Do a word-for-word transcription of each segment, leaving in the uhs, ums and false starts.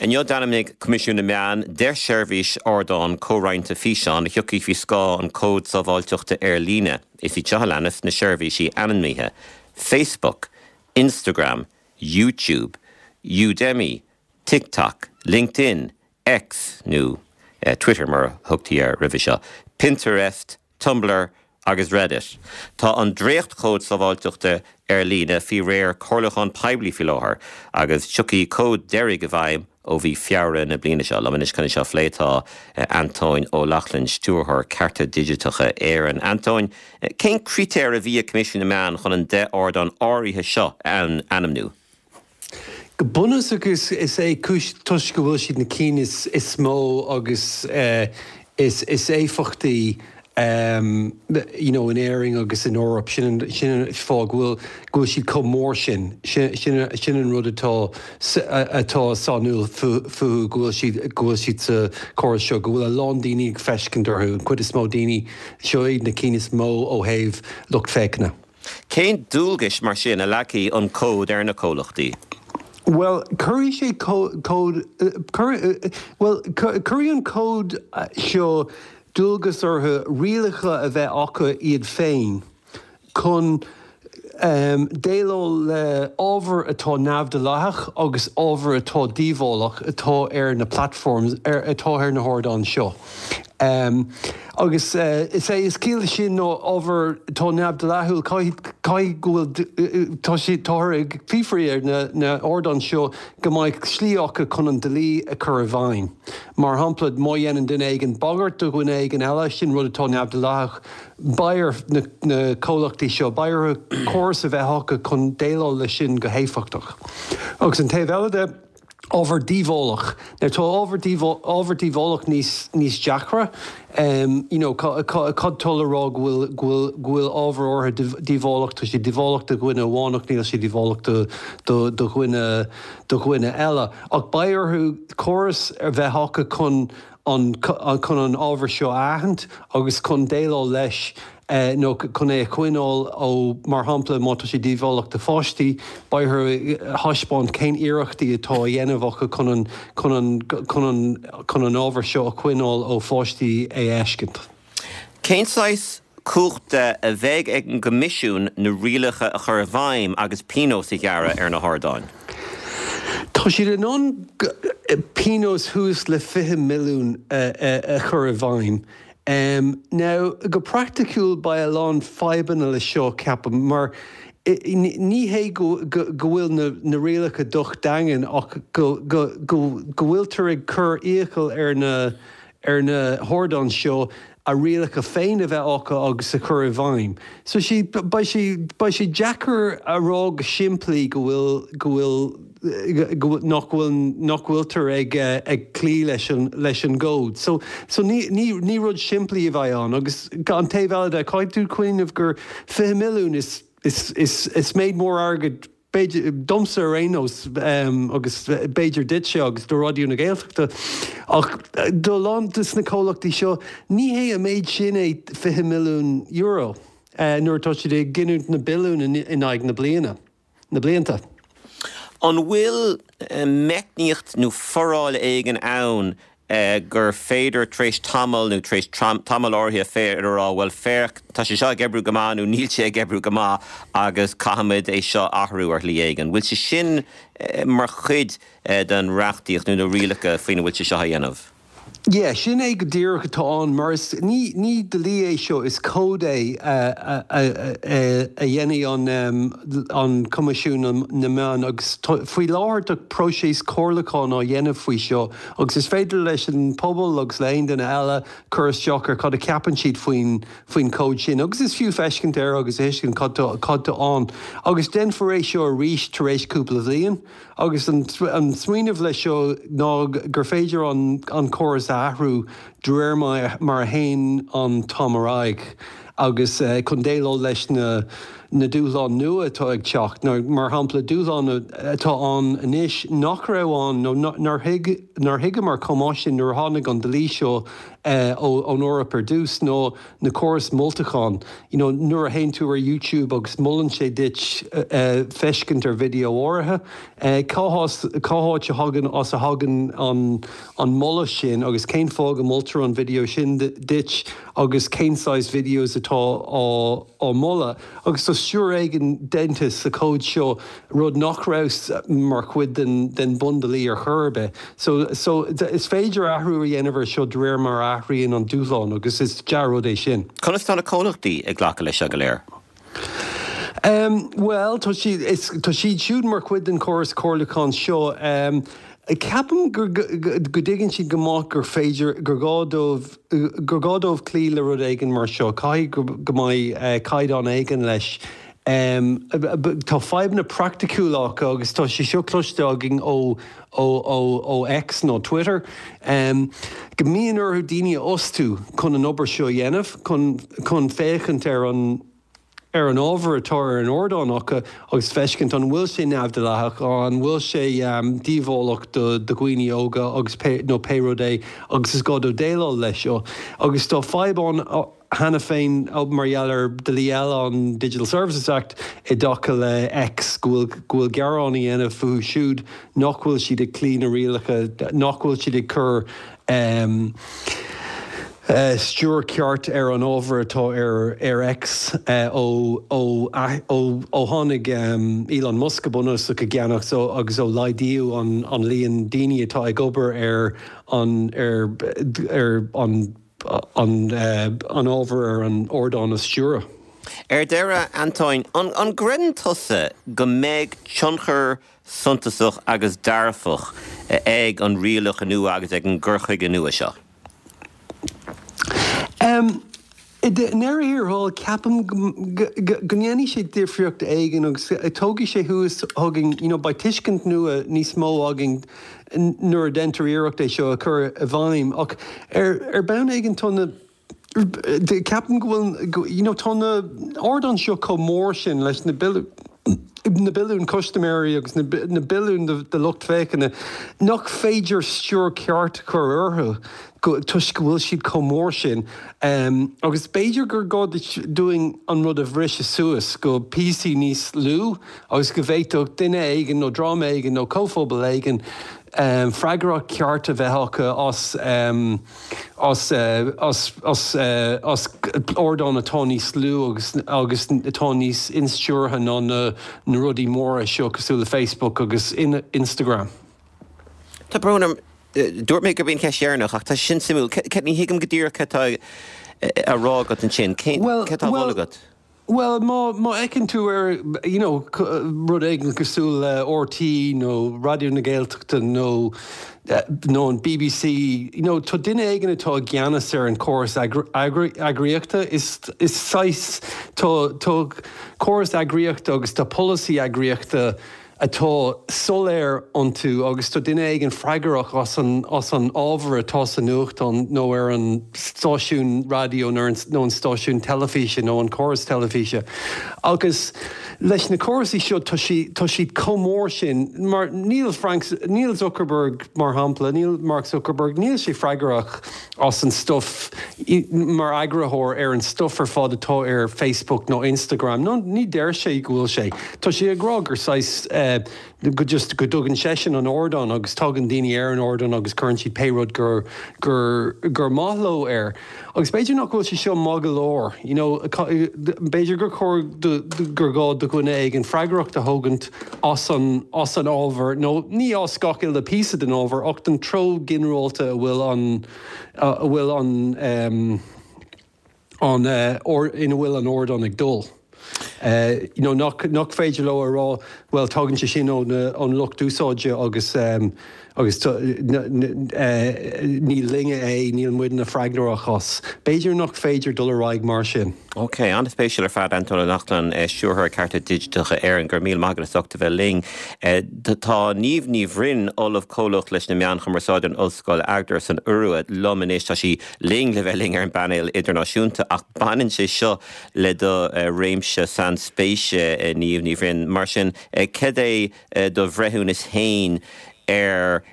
Inniu d'ainmnigh Coimisiún na Meán deich seirbhís ardán comhroinnte físeán a thiocfaidh faoi scáth an Cód Sábháilteachta ar líne. Is iad seo a leanas na seirbhísí ainmnithe. Facebook, Instagram, YouTube, Udemy, TikTok, LinkedIn, X nó eh, Twitter mar a thugtaí air roimhe seo, Pinterest, Tumblr agus Reddit. Tá an dréachtchód sábháilteachta ar líne faoi réir comhairliúchán poiblí faoi láthair agus tiocfaidh cód deiridh i bhfeidhm ó mhí Feabhra na bliana seo. Liom anois chun seo a phlé tá Antóin Ó Lochlainn stiúrthóir Cearta Digiteacha Éireann. Antóin, cén critéir a bhí ag Coimisiún na Meán chun an deich ardán áirithe seo a ainmniú? Go bunúsach is is é cúis toisc go bhfuil siad na cinn is, is mó agus uh, is, is éifeachtaí um, you know, in Éirinn agus in Eoraip sin sin fáth go bhfuil go bhfuil siad chomh mór sin sin sin an rud atá atá sainiúil fúthu go bhfuil siad go bhfuil siad sa chóras seo go bhfuil a lán daoine ag féachaint orthu an chuid is mó daoine seo iad na cinn is mó ó thaobh lucht féachana. Cén dualgais mar sin a leagfaidh an cód ar na comhlachtaí? Well, cuirfidh sé cód well cuirfidh an cód seo dualgas orthu rialacha a bheith acu iad féin chun um, déileáil le ábhar atá neamhdhleathach agus ábhar atá díobhálach atá ar na platforms ar atá ar na hardáin seo. Um, agus uh, is é is ciall sin nó ábhar atá neamhdhleathach caithfidh go bhfuil tá sé táthar ag fiafraí ar na, na hardáin seo go mbeidh slí acu chun an dlí a chur i bhfeidhm. Mar shampla má dhéanann duine éigin bagairt do dhuine éigin eile sin rud atá neamhdhleathach beidh ar na, na comhlachtaí seo beidh orthu córas a bheith acu chun déileáil leis sin go héifeachtach. Agus an taobh eile de ábhar díobhálach. Now tá ábhar ábhar díobhálach níos níos deacra. Um, you know, cad tá le rá go bhfuil go bhfuil ábhar áirithe díobhálach tá sé díobhálach do dhuine amháin ach níl sé díobhálach do do do dhuine do dhuine eile. Ach beidh orthu córas a bheith acu chun an chun an ábhar seo a aithint agus chun déileáil leis Uh, nó chun é a choinneáil ó mar shampla má tá sé díobhálach do pháistí beidh orthu taispeáint cén iarrachtaí atá á dhéanamh acu chun an chun an chun an chun an ábhar seo a choinneáil ó pháistí a fheiscint. Cén saghas cumhachta a bheidh ag an gCoimisiún na rialacha a chur i bhfeidhm agus pionós a ghearradh ar na hardáin? Tá siad in ann pionós suas le fiche milliún a chur i bhfeidhm. Um, now go praiticiúil beidh a lán fadhbanna le seo ceapaim mar ní hé go bhfuil na, na rialacha docht daingean ach go, go, go, go bhfuiltear ag cur iachall ar na ar na hardáin seo a rialacha féin a bheith acu agus a chur i bhfeidhm. So sí beidh sé beidh sé deacair a rá go simplí go bhfuil go bhfuil nach bhfuil nach bhfuiltear ag ag cloí leis an leis an gcód. So so ní ní ní rud simplí a bheidh ann agus an taobh eile de caithfidh tú cuimhneamh gur fiche milliún is is is is méid mór airgid domsa ar aon nós um, agus b'fhéidir duitse agus do Raidió na Gaeltachta ach do a lán de na comhlachtaí seo ní hé an méid sin é fiche milliún euro uh, nuair atá siad ag giniúint na billiún in, in aghaidh na bliana na blianta. An bhfuil meicníocht nó foráil éigin ann gur féidir tar éis tamall nó tar éis tamall áirithe féidir a rá well féach tá sé seo ag oibriú go maith nó níl sé ag oibriú go maith agus caithfimid é seo athrú ar shlí éigin. Bhfuil sé sin mar chuid den reachtaíocht nó na rialacha faoina bhfuil sé seo a dhéanamh? Yeah, sin é go díreach atá ann mar is ní ní dlí é seo is cód é a a dhéanfaidh an an Coimisiún na Meán agus faoi láthair tá próiseas comhairliúcháin á dhéanamh faoi seo agus is féidir leis an pobal agus le haon duine eile cur isteach ar cad a ceapann siad faoin faoin cód sin agus is fiú féachaint air agus tuiscint cad cad tá ann agus déanfar é seo arís tar éis cúpla bliain agus an an smaoineamh leis seo ná gur féidir an an córas a athrú de réir mar a théann an t-am ar aghaidh agus uh, chun déileáil leis na na dúshláin nua atá ag teacht, nó mar shampla dúshlán atá ann anois nach raibh ann nó nár thuig nár thuigeamar chomh maith sin nuair a tháinig an dlí seo ón Eoraip ar dtús nó na córais moltacháin. You know, nuair a théann tú ar YouTube agus molann sé duit feiscint ar video áirithe, cá cá háit a thagann as a thagann an an moladh sin agus cén fáth go moltar an video sin duit agus cén saghas videos atá á á moladh. Agus tá stiúir éigin déanta sa cód seo rud nach raibh mar chuid den den bundlí ar chor ar bith. So, so is féidir athrú a dhéanamh air seo de réir mar a athraíonn an dúshlán agus is dea-rud é sin. Conas tá na comhlachtaí ag glacadh leis seo go léir? Um, well tá siad tá siad siúd mar chuid den chóras comhairliúcháin seo. Um, Ceapaim go dtuigeann siad go maith gur féidir gur gá dóibh gur gá dóibh cloí le rud éigin mar seo, caithfidh go mbeidh uh, caighdeán éigin leis. Um, tá fadhbanna praiticiúla acu agus tá sé seo cloiste againn ó ó ó ó X nó Twitter. Um, go mbíonn orthu daoine a fhostú chun an obair seo dhéanamh chun chun féachaint ar an ar an ábhar atá ar an ardán acu agus feiscint an bhfuil sé neamhdhleathach an bhfuil sé um, díobhálach do do dhaoine óga agus pé, nó pé rud é agus is gá dóibh déileáil leis seo. Agus tá fadhb ann cheana féin mar gheall ar dlí eile an Digital Services Act i dtaca le X go bhfuil gearán á dhéanamh fúthu siúd nach bhfuil siad ag cloí na rialacha nach bhfuil siad ag cur um, Uh, stiúir ceart ar an ábhar atá ar ar X uh, ó ó ó ó tháinig um, Elon Musk go bunúsach i gceannach so agus ó laghdaíodh an an líon daoine atá ag obair ar an ar ar an an uh, an ábhar ar an ardán a stiúradh. Ar deireadh Antoine an, an gcreideann tusa go mbeidh tionchar suntasach agus dearfach ag an rialacha nua agus ag an gcur chuige nua seo. Um, I ndeireadh thiar thall ceapaim go ndéanfaidh sé difríocht éigin agus tógfaidh sé thuas chugainn you know, beidh tuiscint nua níos mó againn nuair a déantar iarracht é seo a chur i bhfeidhm ach ar ar bhealach éigin tá na ceapaim go bhfuil you know, tá na hardáin seo chomh mór sin leis na billiún na billiún custaiméirí agus na, na billiún de, de lucht féachana nach féidir stiúir ceart chur orthu toisc go bhfuil siad chomh mór sin. Um, agus b'fhéidir gur gá dúinn an rud a bhriseadh suas go píosaí níos lú agus go bhféadfadh duine éigin nó dream éigin nó comhphobal éigin um, freagracht ceart a bheith acu as, um, as, uh, as, as, uh, as ardán atá níos lú agus, agus atá níos instiúrtha ná na, na rudaí móra seo cosúil le Facebook agus in, Instagram. Tá brón orm dúirt mé gurb í an cheist dheireanach ach tá sin suimiúil ní thuigim go díreach cad tá á rá agat ansin cé tá agat. Well má má fhéachann tú ar you know, rud éigin cosúil le RTÉ nó Raidió na Gaeltachta nó nó an BBC you know, tá duine éigin atá i gceannas ar an córas eagraíochta is is saghas tá tá córas eagraíochta agus tá polasaí eagraíochta atá soiléir iontu agus tá duine éigin freagrach as an as an ábhar atá sa nuachtán nó ar an stáisiún raidió nó an stáisiún teilifíse nó an córas teilifíse. Agus leis na córasaí seo tá siad chomh mór sin mar níl Frank níl Zuckerberg mar shampla níl Mark Zuckerberg níl sé freagrach as an stuff mar eagarthóir ar an stuff ar fad atá ar Facebook nó Instagram nó ní deir sé go bhfuil sé. Tá sé ag rá gur saghas uh, go just go dtugann seisean an ardán agus tagann daoine ar an ardán agus cuireann siad pé rud gur gur gur maith leo air. Agus b'fhéidir nach bhfuil sé seo maith go leor, you know, b'fhéidir gur chóir gur gá do dhuine éigin freagracht a thógaint as an as an ábhar nó ní as gach uile píosa den ábhar ach den treo ginearálta a bhfuil an a bhfuil an um, an uh, or ina bhfuil an ardán ag dul. Uh, you know, nach, nach féidir leo a rá well tagann sé sin ón ón lucht úsáide agus um, Agus ní linne é níl muidne freagrach as. B'fhéidir nach féidir dul ar aghaidh mar sin. Ok, an-spéisiúil ar fad Antóin Ó Neachtain Stiúrthóir Cearta Digiteacha Éireann go raibh míle maith agat as ucht a bheith linn. Tá Niamh Ní Bhroin Ollamh Comhlach leis na Meáin Chumarsáide in Ollscoil Agder san Iorua liom anois tá sí linn le bheith linn ar an bpainéal idirnáisiúnta ach baineann sé seo le do réimse sainspéise Niamh Ní Bhroin mar sin cad é do bhreithiúnas féin ar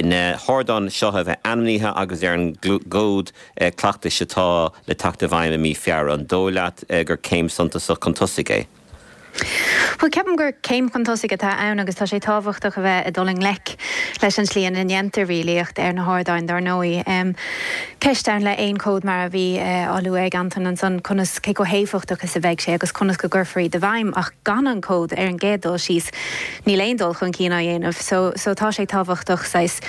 na hardáin seo a bheith ainmnithe agus ar an gcód cleachtais atá le teacht i bhfeidhm i mí Feabhra an dóigh leat gur céim suntasach chun tosaigh é. Well ceapaim gur céim chun tosaigh atá ann agus tá sé tábhachtach a bheith ag dul i ngleic leis an slí ina ndéantar rialaíocht ar na hardáin dar ndóigh. Um, ceist ann le aon cód mar a bhí uh, á lua ag Anton ansan conas cé chomh héifeachtach is a bheidh sé agus conas go gcuirfear iad i bhfeidhm ach gan an cód ar an gcéad dul síos níl aon dul chun cinn á dhéanamh, so, so tá sé tábhachtach saghas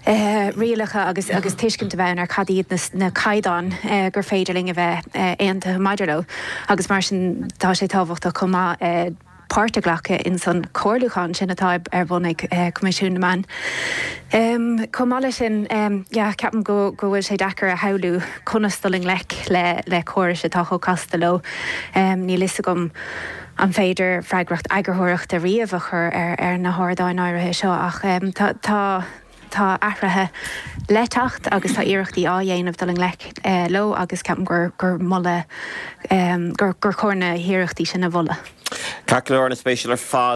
Uh, rialacha agus agus tuiscint a bheith ar cad iad na, na caighdeáin uh, gur féidir linn a bheith uh, aontaithe maidir leo agus mar sin tá sé tábhachtach chomh maith uh, páirt a ghlacadh in san chomhairliúchán sin atá ar bun ag uh, Coimisiún na Meán. Um, Chomh maith leis sin um, yeah, ceapaim go go bhfuil sé deacair a shamhlú conas dul i ngleic le le córais atá chomh casta leo. Um, Níl a fhios agam an féidir freagracht eagarthóireachta riamh a chur ar, ar na hardáin áirithe seo ach um, tá tá tá athruithe le teacht agus tá iarrachtaí á dhéanamh dul i ngleic eh, leo agus ceapaim gur gur moladh um, gur gur chóir na hiarrachtaí sin a mholadh. Ceart go leor an-spéisiúil ar fad.